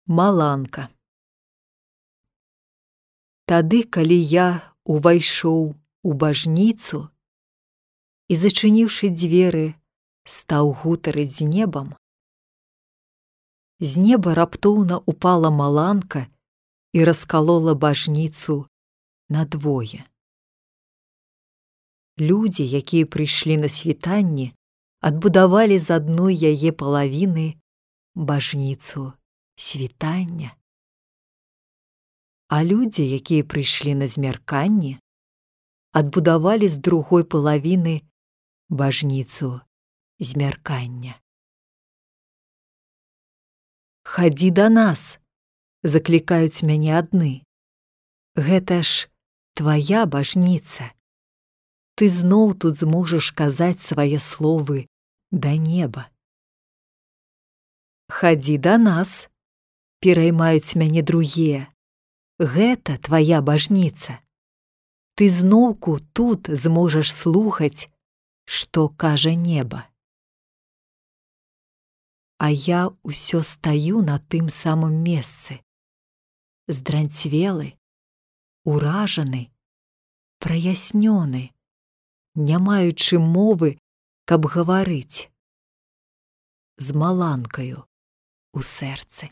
Маланка. Тады, калі я увайшоў у бажніцу і, зачыніўшы дзверы, стаў гутарыць з небам, з неба раптоўна упала маланка і раскалола бажніцу надвое. Людзі, якія прыйшлі на світанне, адбудавалі з адной яе палавіны бажніцу світання. А людзі, якія прыйшлі на змярканне, адбудавалі з другой палавіны бажніцу змяркання. «Хадзі да нас!» – заклікаюць мяне адны. «Гэта ж твая бажніца. Ты зноў тут зможаш казаць свае словы да неба». «Хадзі да нас!» – пераймаюць мяне другія. «Гэта твая бажніца. Ты зноўку тут зможаш слухаць, што кажа неба». А я ўсё стаю на тым самым месцы, здранцвелы, уражаны, праяснёны, не маючы мовы, каб гаварыць, з маланкаю у сэрцы.